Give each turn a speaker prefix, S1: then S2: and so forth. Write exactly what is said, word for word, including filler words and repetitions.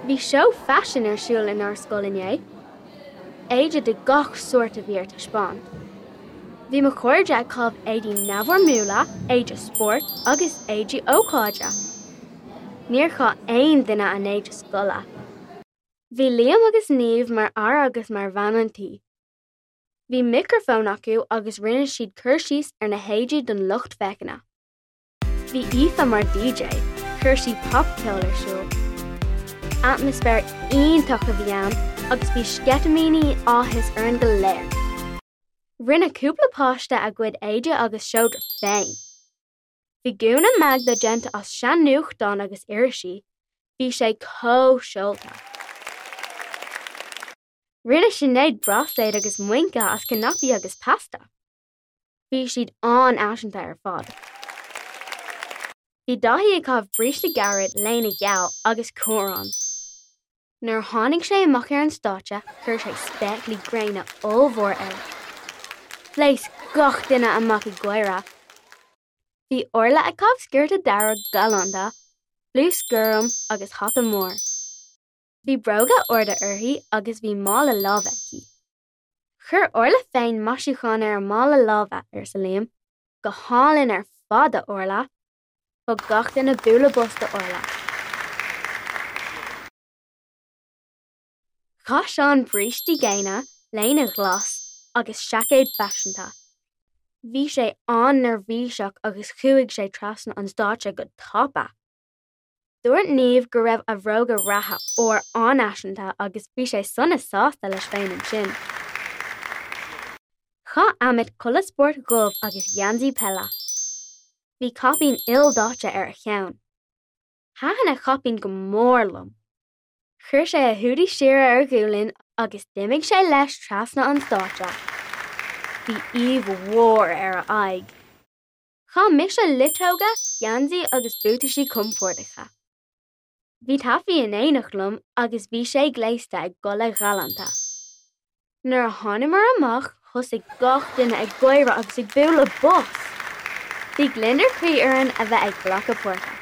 S1: Bhí seó faisin ar siúl inár scoil inné. Éide de gach sórt a bhí ar taispeáint. Bhí mo chairde ag caitheamh éadaí neamhfhoirmiúla, éide spóirt agus éadaí ócáide. Níor chaith aon duine a n-éide scoile. Bhí Liam agus Niamh mar fhear agus mar bhean an tí. Bhí micreafón acu agus rinne siad cur síos ar na héadaí don lucht féachana. Bhí Aoife mar DJ, chuir sí popcheol ar siúl. Atmaisféar iontach a bhí ann agus bhí sceitimíní áthais orainn go léir. Rinne cúpla páiste a gcuid éide agus seodra féin. Bhí gúna Magda déanta as sean-nuachtáin agus irisí, bhí sé chomh seolta. Rinne Sinéad bráisléad agus muince as cnaipí agus pasta. Bhí siad an-fhaiseanta ar fad. Bhí Daithí ag caitheamh bríste gairid léine gheal agus cuarán. Nuair a tháinig sé amach ar an stáitse, chuir sé spéaclaí gréine ollmhór air. Phléasc gach duine amach ag gáire. Bhí Orla ag caitheamh sciorta dearg galánta, blús gorm agus hata mór. Bhí bróga arda uirthi agus bhí mála láimhe aici. Chuir Orla féin maisiúchán ar a mála láimhe, arsa Liam, go hálainn ar fad a Orla. Thug gach duine bualadh bos do Orla. Chaith Seán brístí géine, léine ghlas agus seaicéad faiseanta. Bhí sé an-neirbhíseach agus chuaigh sé trasna an stáitse go tapa. Dúirt Niamh go raibh a bhróga reatha óir an-fhaiseanta agus bhí sé sona sásta leis féin ansin. Chaith Amit culaith spóirt dhubh agus geansaí peile. Bhí caipín ildaite ar a cheann. Thaitin a chaipín go mór liom. Chuir sé a húdaí siar ar a ghualainn agus d'imigh sé leis trasna an stáitse. Bhí aoibh mhór ar a aghaidh. Chaith mise luiteoga, geansaí agus buataisí compordacha. Bhí Taffy in éineacht liom agus bhí sé gléasta i gculaith ghalánta. Nuair a thángamar amach, thosaigh gach duine ag gáire agus ag bualadh bos. Bhí gliondar croí orainn a bheith ag glacadh páirte.